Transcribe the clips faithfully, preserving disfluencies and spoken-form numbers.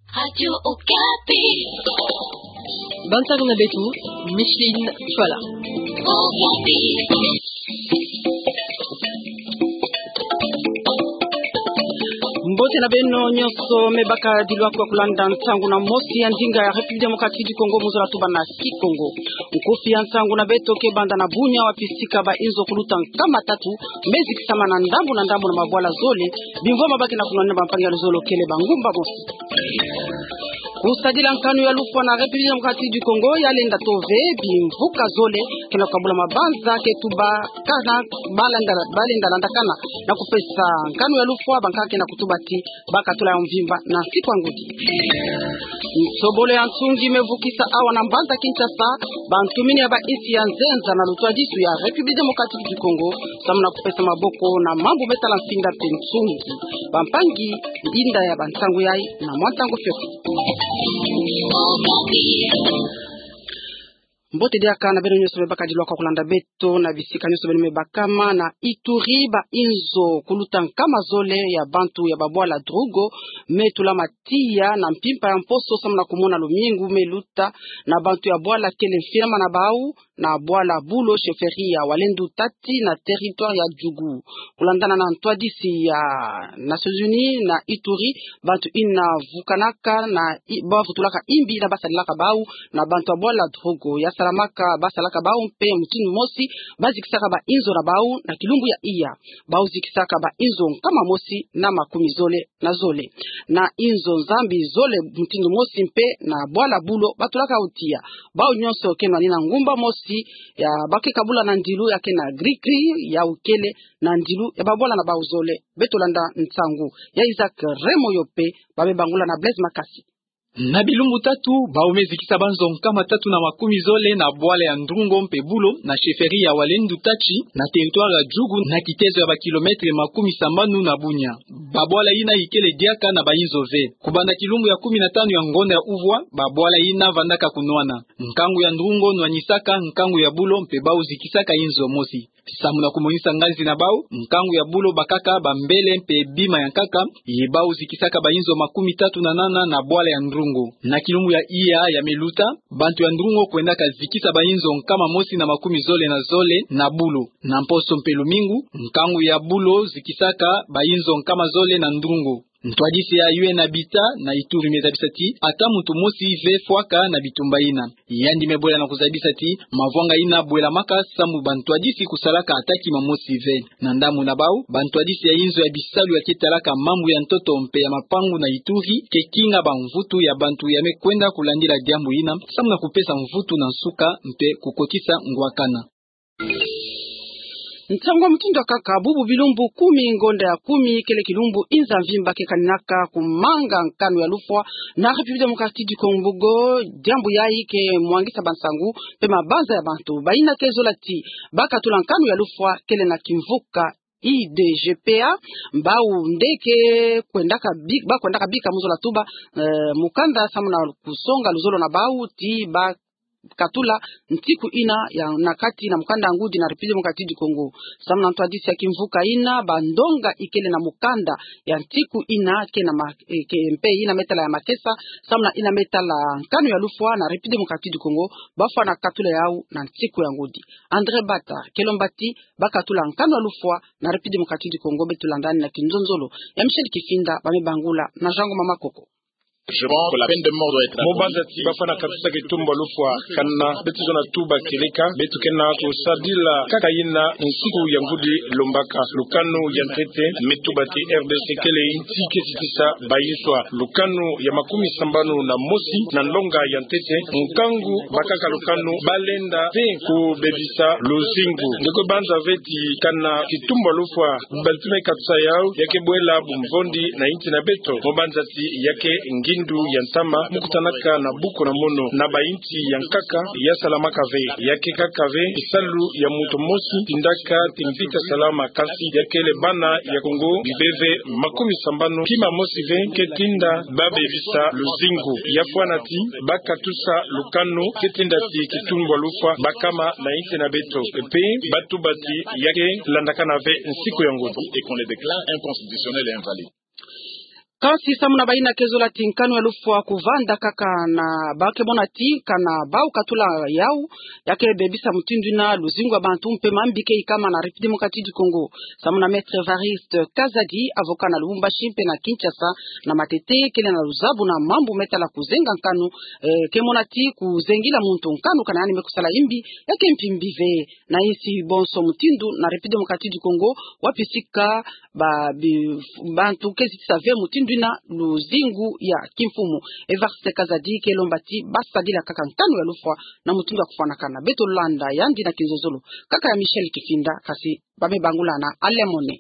Radio Okapi. Bantu na beto, Micheline Fala. Okapi. Mbote na beno nyonso me bakadilu kwa kulanda nsangu na mosi ya ndinga ya République Démocratique du Congo mu zola tuba na Kikongo. Nkufi ya nsangu na beto ke banda na Bunia, wapi sika ba inzo kuluta nkama tatu me zikisama na ndambu na ndambu na mabwala zole, bimvwama ba ke na kunwanina bampangi ya luzolo kele ba ngumba mosi. Kusadila nkanu ya lufwa na République Démocratique du Congo ya lenda to ve, bimvuka zole ke na kukabula mabanza ke tubakana, ba lenda, ba lenda landakana na kupesa nkanu ya lufwa, bankaka ke na kutuba ti ba katula ya mvimba na nsiku ya ngudi. Nsobolo ya nsungi me vukisa awa na mbanza Kinshasa bantumini ya ba insi ya nzenza na lutwadisu ya République Démocratique du Congo, samu na kupesa maboko na mambu me tala nsinga mpe nsungi. Bampangi, ndinda ya bansangu yayi na mwa ntangu fioti. Mbote diaka na beno nyonso me bakadilu kwa kulanda beto na bisika nyonso beno me bakama. Na Ituri, ba inzo kuluta nkama zole ya bantu ya babwala Drugo me tula matiya na mpimpa ya mposo samu na kumona lumingu me luta na bantu ya bwala kele mfirma na bau na bwala Bulo, chefferie ya Walendu Tati, na territoire ya Djugu. Kulandana na ntwadisi ya Nations Unies na Ituri, bantu ina vukanaka na i-, ba vutulaka imbi na basalelaka bau na bantu ya bwala Drugo, ya salamaka basalaka bau mpe mutindu mosi, ba zikisaka ba inzo na bau na kilumbu ya iya. Bau zikisaka ba inzo nkama mosi na makumi zole na zole. Na inzo nzambi zole mutindu mosi mpe na bwala Bulo batulaka tiya. Bau nyonso ke nwanina ngumba mosi ya ba ke kabula na ndilu ya ke na gri-gri ya ukele na ndilu ya babwala na bau zole. Beto landa nsangu ya Isaac Remoyo mpe ba me bangula na Blaise Makasi. Na bilumbu tatu, bau me zikisa banzo nkama tatu na makumi zole na bwala ya Ndrungo mpe Bulo, na chefferie ya Walendu Tati, na territoire ya Djugu, na kitezo ya ba kilomètre makumi sambanu na Bunia. Babwala ina ikele diaka na ba inzo ve. Kubanda kilumbu ya kumi na tanu ya ngonda ya uvwa, babwala ina vandaka kunwana. Nkangu ya Ndrungo nwanisaka nkangu ya Bulo mpe bau zikisaka inzo mosi. Samu na kumonisa nganzi na bau, nkangu ya Bulo bakaka bambele mpe bima ya nkaka, ye bau zikisaka ba inzo makumi tatu na nana na bwala ya Ndrungo. Na kilumbu ya iya ya me luta, bantu ya Ndrungo kwendaka zikisa ba inzo nkama mosi na makumi zole na zole na Bulo. Na mposo mpe lumingu, nkangu ya Bulo zikisaka ba inzo nkama zole na Ndrungo. Ntwadisi ya U N Habitat na Ituri me zabisa ti ata muntu mosi ve fwaka na bitumba ina. Yandi me bwela na kuzabisa ti mavwanga ina bwelamaka samu bantwadisi kusalaka ata kima mosi ve. Na ndambu na bau, bantwadisi ya inzo ya bisalu ya ke talaka mambu ya ntoto mpe ya mapangu na Ituri ke kinga bamvutu ya bantu ya me kwenda kulandila diambu ina, samu na kupesa mvutu na nsuka mpe kukotisa ngwakana. Nsangu mutindu ya nkaka. Bubu bilumbu kumi, ngonda ya kumi, kele kilumbu inza mvimba ke kaninaka kumanga nkanu ya lufwa na République Démocratique du Congo. Diambu yayi ke mwangisa bansangu mpe mabanza ya bantu. Bayina ke zola ti ba katula nkanu ya lufwa kele na kimvuka I D G P A, bau nde ke kwendaka bi-, ba kwendaka bika mu zola tuba, eh, mukanda samu na kusonga luzolo na bau ti ba katula nsiku ina ya na kati na mukanda ngudi na République Démocratique du Congo. Samu na ntwadisi ya kimvuka ina, bandonga ikele na mukanda ya nsiku ina ke na ma-, eh, ke mpe ina me tala ya makesa, samu na ina me tala nkanu ya lufwa na République Démocratique du Congo, ba fwana katula yau na nsiku ya ngudi. André Bata, ke lomba ti ba katula nkanu ya lufwa na République Démocratique du Congo, beto landani na kinzonzolo ya Michel Kifinda, ba me bangula na Jean Ngoma Makoko. Je pense que la peine de mort doit être abolie. Mu banza ti ba fwana katusa kitumbu ya lufwa, kana beto zona tuba kieleka, beto ke na kusadila kaka yina nsiku ya ngudi lombaka. Lukanu ya ntete me tuba ti R D C kele inti ke titisa bayinswa. Lukanu ya makumi sambanu na mosi na nlonga ya ntete, nkangu bakaka lukanu ba lenda te kubebisa luzingu. Nge kwe banza ve ti kana kitumbu ya lufwa, bantu me katusa yau, ya ke bwela bumvondi na inti na beto. Mu banza ti ya ke ngindu ya ntama, mu kutanaka na buku na mono, na bainti ya nkaka, ya salamaka ve. Ya ke kaka ve kisalu ya muntu mosi tindaka ti mpita salama, kansi ya kele bana ya Kongo bibê ve makumi sambanu, kima mosi ve ke tinda ba bebisa luzingu. Ya fwana ti ba katusa lukanu ke tinda ti kitumbu ya lufwa ba kama na inti na beto. Mpe ba tuba ti ya ke landakana ve nsiku ya ngudi. Et qu'on le déclare inconstitutionnel et invalide. Kansi samu na bayina ke zola ti nkanu ya lufwa kuvanda kaka na ba ke mona ti kana bau katula yau, ya ke bebisa mutindu yina luzingu ya bantu mpe mambi ke ikama na République Démocratique du Congo. Samu na Maître Évariste Kazadi, avocat na Lubumbashi mpe na Kinshasa, na matete kele na luzabu na mambu me tala kuzenga nkanu, eh, ke mona ti kuzengila muntu nkanu kana yandi me kusala imbi, ya ke mpimbi ve. Na insi bonso mutindu na République Démocratique du Congo, wapi sika ba, bi, bantu ke zitisa ve mutindu yina luzingu ya kimfumu. Évariste Kazadi ke lomba ti ba sadila kaka nkanu ya lufwa na mutindu ya kufwanakana. Beto landa yandi na kinzozolo kaka ya Michel Kifinda, kasi ba me bangula na Alain Mone.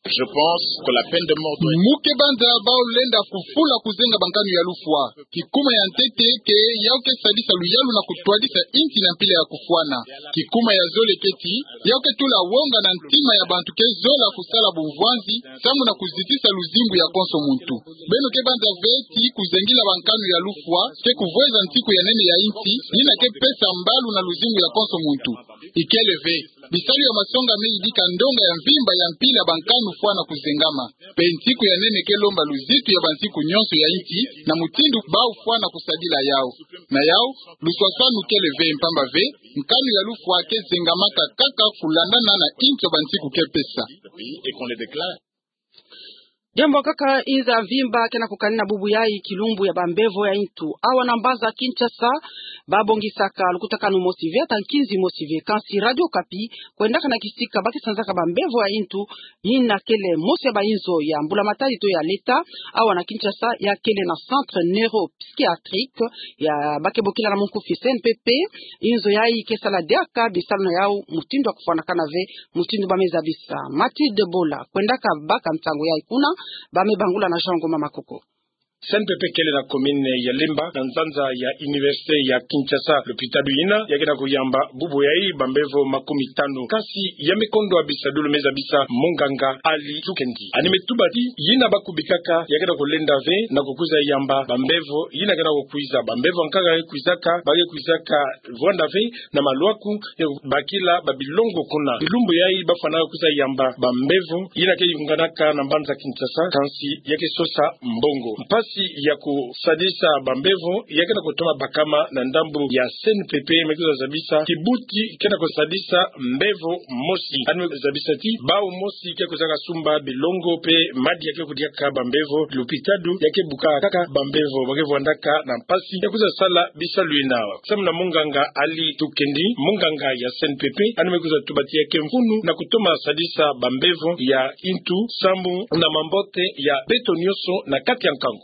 Je pense que la peine de mort doit être... Mu ke banza bau lenda kufula kuzenga bankanu ya lufwa. Kikuma ya ntete ke yau ke sadisa luyalu na kutwadisa insi na mpila ya kufwana. Kikuma ya zole ke ti, yau ke tula wonga na ntima ya bantu ke zola kusala bumvwanzi, samu na kuzitisa luzingu ya konso muntu. Beno ke banza ve ti kuzengila bankanu ya lufwa ke kuvweza ntiku ya nene ya insi, yina ke pesa mbalu na luzingu ya konso muntu. Ikele ve, bisalu ya masonga me yidika ndonga ya mvimba ya mpila bankanu fwana kuzengama. Mpe ntiku ya nene ke lomba luzitu ya bantiku nyonso ya insi, na mutindu bau fwana kusadila yau. Na yau, luswaswanu kele ve mpamba ve, nkanu ya lufwa ke zengamaka kaka kulandana na insi ya bantiku ke pesa. Diambu kaka inza mvimba ke na kukanina bubu yayi kilumbu ya bambevo ya intu. Awa na mbanza Kinshasa, babongisaka lukutakanu mosi ve ata nkinzi mosi ve. Kansi Radio Okapi, kwendaka na kisika ba ke sanzaka bambevo ya intu, yina kele mosi ya bainzo ya mbula matadi to ya leta, awa na Kinshasa, ya kele na centre neuro psychiatrique, ya ba ke bokila na munkufi C N P P. Inzo yayi ke sala diaka bisalu na yau mutindu ya kufwanakana ve, mutindu ba me zabisa. Mathilde Bola, kwendaka baka nsangu yayi kuna, ba me bangula na Jean Ngoma Makoko. C N P P kele na commune ya Lemba, na nzanza ya université ya Kinshasa. Lupitalu yina ya ke na kuyamba bubu yayi bambevo makumi tanu. Kansi ya me kondwa bisadulu me zabisa munganga Ali Tukendi. Yandi me tuba ti, yina ba kubikaka ya ke na kulenda ve na kukwiza yamba bambevo yina ke na kukwiza. Bambevo nkaka ya ke kwizaka, ba ke kwizaka vwanda ve na malwaku ya kubakila babilongo kuna. Bilumbu yayi ba fwanaka kwiza yamba bambevo yina ke yunganaka na mbanza Kinshasa, kansi ya ke sosa mbongo. Mpasi ya kusadisa bambevo ya ke na kutoma bakama na ndambu ya C N P P, me kwiza zabisa kibuti ke na kusadisa mbevo mosi. Yandi me zabisa ti, bau mosi ke kwizaka sumba bilongo mpe madi ya ke kudiaka bambevo, lupitalu ya ke bukaka kaka bambevo ba ke vwandaka na mpasi ya kwiza sala bisalu yina. Samu na munganga Ali Tukendi, munganga ya C N P P, yandi me kwiza tuba ti ya ke mfunu na kutoma sadisa bambevo ya intu, samu na mambote ya beto nyonso na kati ya nkangu.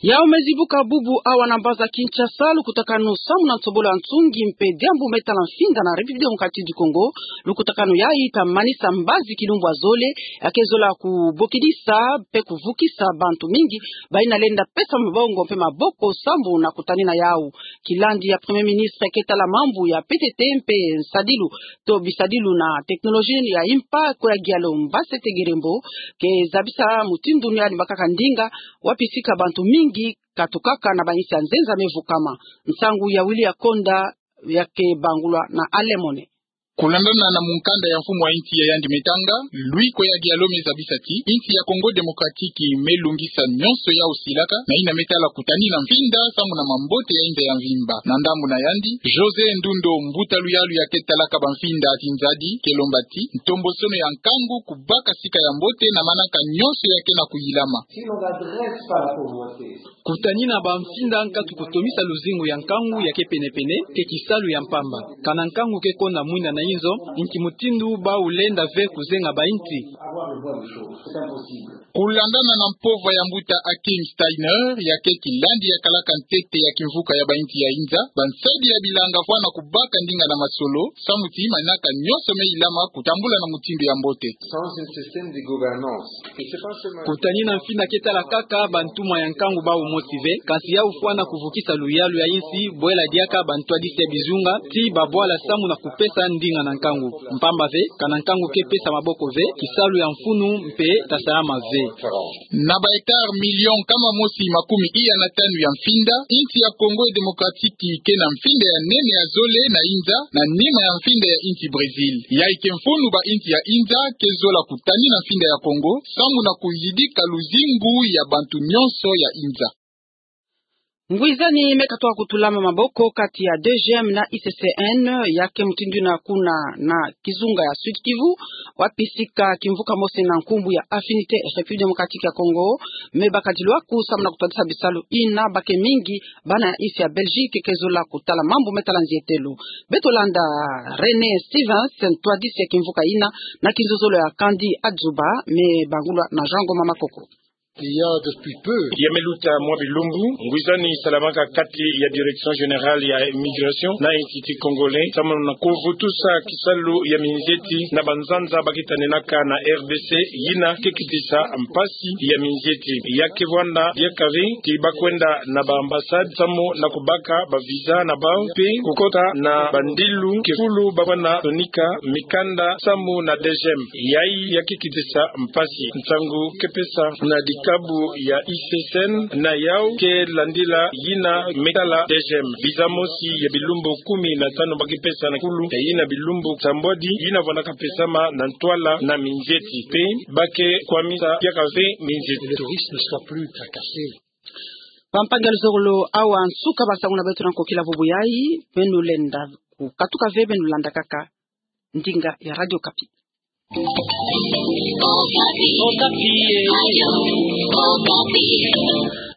Yau me zibuka bubu awa na mbanza Kinshasa, lukutakanu samu na nsobolo ya nsungi mpe diambu me tala mfinda na République Démocratique du Congo. Lukutakanu yayi ta manisa mbazi kilumbu ya zole, ya ke zola kubokidisa mpe kuvukisa bantu mingi, bayina lenda pesa mabongo mpe maboko sambu na kutanina yau. Kilandi ya Premier Ministre ke tala mambu ya P T T mpe nsadilu to bisadilu na technologie ya impa, Koya Diallo Mbansete Gerembo, ke zabisa mutindu yandi baka ndinga, wapi sika bantu mingi katukaka na bainsi ya nzenza me vukama. Nsangu ya Willy Akonda, ya ke bangulwa na Alain Mone. Kulandana na mukanda ya mfumu wa insi ya yandi me tanga, Louis Koya Diallo me zabisa ti, insi ya Congo Démocratique me lungisa nyonso yau silaka, na yina me tala kutanina mfinda samu na mambote ya inza ya mvimba. Na ndambu na yandi, José Ndundo, mbuta luyalu ya ke talaka bamfinda zinzadi, ke lomba ti, ntombosono ya nkangu kubaka sika ya mbote na manaka nyonso ya ke na kuyilama. Si l'on n'adresse pas la pauvreté, kutanina bamfinda nkatu kutomisa luzingu ya nkangu ya ke penepene, ke kisalu ya mpamba. Kana nkangu ke konda mwinda na inzo, nki mutindu bau lenda ve kuzenga bainsi? Kulandana na mpova ya mbuta Hakim Steiner, ya ke kilandi ya kalaka ntete ya kimvuka ya bainsi ya inza, bansadi ya bilanga fwana kubaka ndinga na masolo, samu ti manaka nyonso me yilama kutambula na mutindu ya mbote. Sans un système de gouvernance, kutanina mfinda ke tala kaka bantumwa ya nkangu bau mosi ve, kansi yau fwana kuvukisa luyalu ya insi, bwela diaka bantwadisi ya bizunga, ti babwala samu na kupesa ndinga. na nkangu. Mpamba ve, kana nkangu ke pesa maboko ve, kisalu ya mfunu mpe tasalama ve. Na ba hectare million nkama mosi makumi iya na tanu ya mfinda, insi ya Congo Démocratique ke na mfinda ya nene ya zole na Inza, na nima ya mfinda ya insi Brésil. Yayi ke mfunu ba insi ya Inza ke zola kutani na mfinda ya Congo, samu na kuyidika luzingu ya bantu nyonso ya Inza. Ngwizani me katoka kutulama maboko kati ya D G M na I C C N, ya ke mutindu yina kuna na kizunga ya Sud-Kivu, wapi sika kimvuka mosi na nkumbu ya Affinité République Démocratique ya Congo, me bakadilu aku samu na kutwadisa bisalu yina ba ke mingi, bana ya insi ya Belgique ke zola kutala mambu me tala nzietelo. Beto landa René Stevens, ntwadisi ya kimvuka yina, na kinzozolo ya Kandi Adzuba, me bangulwa na Jean Ngoma Makoko. Il y a depuis peu. Ya me luta mwa bilumbu, ngwizani salamaka kati ya Direction Générale ya Immigration na Institut Congolais, samu na kuvutusa kisalu ya minzieti na banzanza ba ke tanenaka na R D C, yina ke kitisa mpasi ya minzieti. Ya ke vwanda diaka ve ti ba kwenda na ba ambassade, samu na kubaka ba visa na bau, mpe kukota na bandilu ke fulu ba kwenda sonika mikanda samu na D G M. Yayi ya ke kitisa mpasi. Nsangu ke pesa na dikabu ya I C C N na yau ke landila yina me tala D G M. Visa mosi ya bilumbu kumi na tanu ba ke pesa na kulu, yina bilumbu sambwadi, yina vwandaka pesama na ntwala na minzieti. Mpe ba ke kwamisa diaka ve minzieti. Le tourisme ne soit plus tracassé. Bampangi ya luzolo awa nsuka ba nsangu na beto na nkokila vubu yayi, beno lenda kukatuka ve, beno landa kaka ndinga ya Radio Okapi.